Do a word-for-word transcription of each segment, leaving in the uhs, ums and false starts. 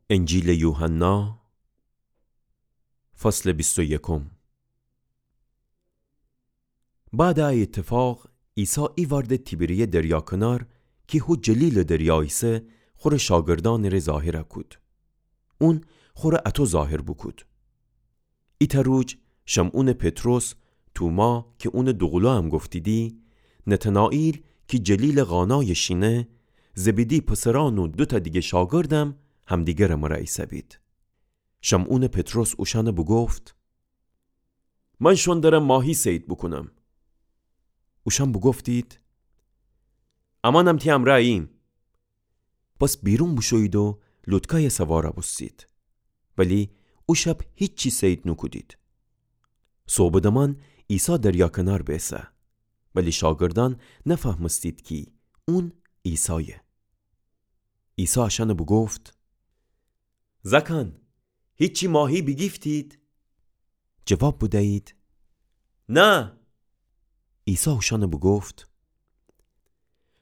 انجیلٚ یوحنا، فصلٚ بیست و یکم. بعدٚ ا ایتفاق، عیسی ایوأرده تیبریه دریا کنار، کی هو جلیلٚ دریا ایسه، خوره شاگردأنٚ ره ظاهر کود. اون خوره اطو ظاهر بوکود. ایتأ روج شمعونٚ پطرس، توما کی اونٚ دوقولویم گفتیدی، نتنائیل کی جلیلٚ قانایٚ شینه، زبیدی پسرأن و دوتأ دیگه شاگردم همدیگرٚ مرا ایسه‌بید. شمعونٚ پطرس اوشأن بوگفت: من شون درم ماهی صید بوکونم. اوشأن بوگفتید: امأنم تی امرأ اییم. پس بیرون بوشویید و لوتکای سوار بوستید. ولی او شب هیچی صید نوکودید. صوبٚ دمان عیسی دریا کنار بیسه. ولی شاگردأن نفهمستید کی اون عیسایه. عیسی اشأن بوگفت: زأکأن، هیچی ماهی بیگیفتید؟ جواب بدیید: نه. عیسی اوشأن بوگفت: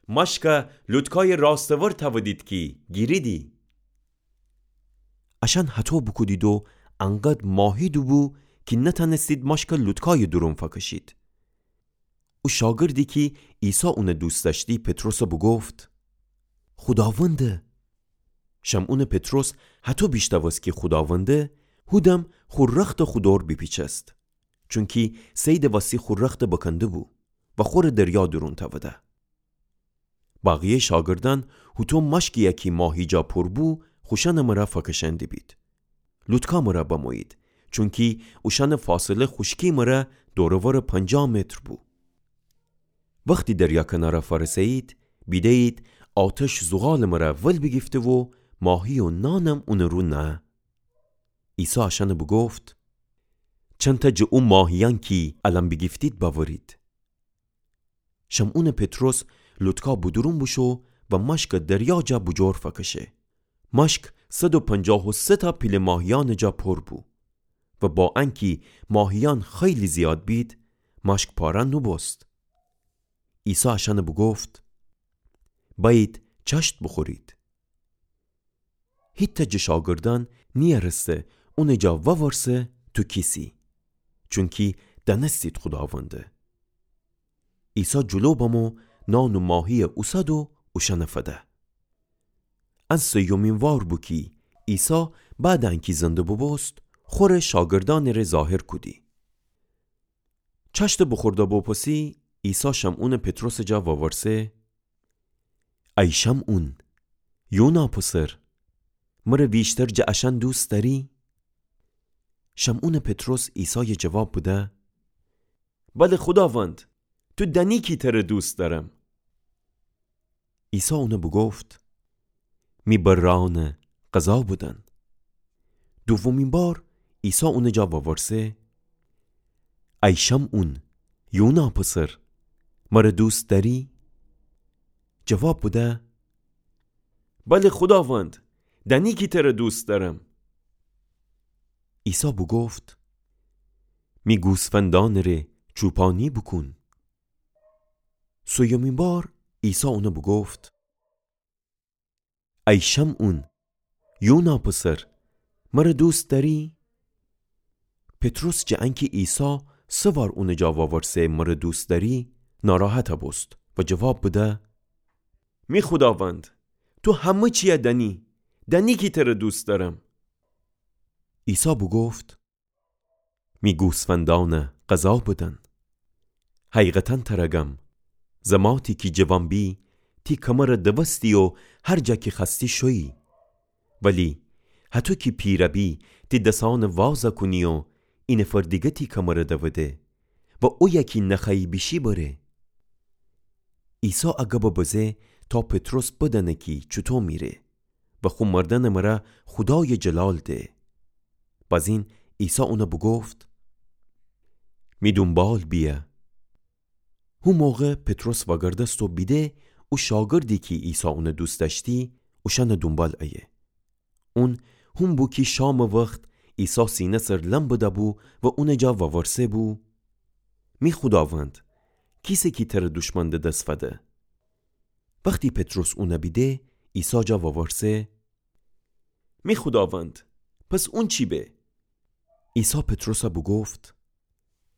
مشک لوتکای راستور تأودید کی گیریدی. اشأن هطو بوکودید و انقدر ماهی دوبو کی نتأنستید مشک لوتکای دورون فکشید. او شاگردی کی عیسی اون دوست دأشتی، پطرس بوگفت: خوداونده! شمعونٚ پطرس هطو بیشتأوست کی خوداونده، هودم خو رختٚ خو دور بیپیچست. چونکی صیدٚ وسی خو رخت بکنده‌بو و خوره دریا دورون تأوده. بقیه‌یٚ شاگردأن هوطو مشکیی کی ماهی جا پر بو، خوشأنٚ مرا فکشأنده‌بید. لوتکا مرا بمویید، چونکی اوشأنٚ فاصله خوشکی مرا دور و ور پنجاه متر بو. وختی دریا کنارا فأرسه‌یید، بیده‌یید آتش زغالٚ مرا ول بیگیفته و ماهی و نانم اونٚ رو نه. عیسی اشأن بوگفت: چنتأ جٚه او ماهیأن کی الأن بیگیفتید بأورید. شمعونٚ پطرس لوتکا بودورون بوشو و مشک دریا جا بوجور فکشه. مشک صد و پنجاه و سه تا پیله ماهیأنٚ جا پر بو و با انکی ماهیأن خیلی زیاد بید، مشک پاره نوبوست. عیسی اشأن بوگفت: بأیید چشت بوخورید. هیتأ جٚه شاگردأن نیأرسته اونٚ جا وورسه تو کیسی، چونکی دأنستید خوداونده. عیسی جلو بمو نان و ماهیی اوسد و اوشأن فده. ان سیومین وار بو کی عیسی بعدٚ انکی زنده بوبوست، خوره شاگردأنٚ ره ظاهر کودی. چشتٚ بوخورده بوپسی، عیسی شمعونٚ پطرسٚ جا وورسه: ای شمعون، یونا پسر، مره ویشتر جٚه اشأن دوست دأری؟ شمعونٚ پطرس عیسای جواب بده: بله خوداوند، تو دأنی کی تره دوست دأرم. عیسی اون بوگفت: می بررأن قضا بدن. دومین بار عیسی اونٚ جا وورسه: ای شمعون، یونا پسر، مره دوست دأری؟ جواب بده: بله خوداوند، دأنی کی تره دوست دأرم. عیسی بوگفت: می گوسفندأنٚ ره چوپانی بوکون. سویومین بار عیسی اون بوگفت: ای شمعون، یونا پسر، مره دوست دأری؟ پطرس جٚه انکی عیسی سه وار اونٚ جا وورسه مره دوست دأری، ناراحت بوست و جواب بده: می خوداوند، تو همه چیی دأنی، دأنی کی تره دوست دأرم. عیسی بوگفت: می گوسفندأن قضا بدن. حقیقتا تره گم، زماتی کی جوان بی، تی کمر دوستی و هر جا کی خوأستی شویی. ولی هطو کی پیر بی، تی دسأن واز کونی و اینفر دیگه تی کمر دوده و اویه کی نخوأیی بیشی بره. عیسی ا گب بزه تا پطرس بدأنه کی چوطو میره و خو مردنٚ مره خودای جلال ده. بازین عیسی اون بوگفت: می دونبال بیه. هو موقع پطرس وأگردست و بیده او شاگردی کی عیسی اون دوست دأشتی، اوشأنٚ دونبال ایه. اون هون بو کی شامٚ وخت عیسی سینه سر لم بده‌بو و اونٚ جا وورسه بو: می خوداوند، کیسه کی تره دوشمن ده دس فده؟ وختی پطرس اون بیده، عیسی جا وورسه: می خوداوند، پس اون چی به؟ عیسی پطرسَ بوگفت: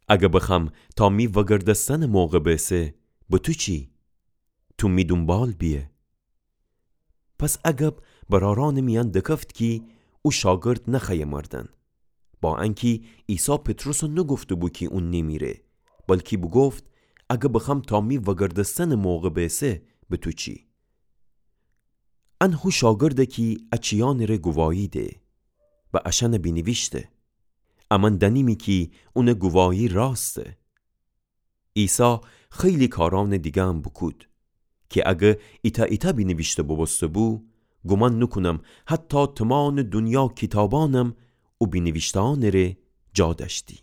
اگه بخوأم تا می وگردستنٚ موقع بیسه، به تو چی؟ تو می دونبال بیه. پس ا گب برأرأنٚ میأن دکفت کی او شاگرد نخوأیه مردن. با انکی عیسی پطرسَ نوگفته‌بو کی اون نیمیره، بلکی بوگفت: اگه بخوأم تا می وگردستنٚ موقع بیسه، به تو چی؟ ان هو شاگرده کی ا چیأنٚ ره گواهی ده و اشأنَ بینیویشته. امأن دأنیمی کی اونٚ گواهی راسته. عیسی خیلی کارأنٚ دیگه‌م بوکود کی اگه ایتأ ایتأ بینیویشته بوبوسته‌بو، گومان نوکونم حتی تومانٚ دونیا کیتابأنم او بینیویشته‌أنٚ ره جا دأشتی.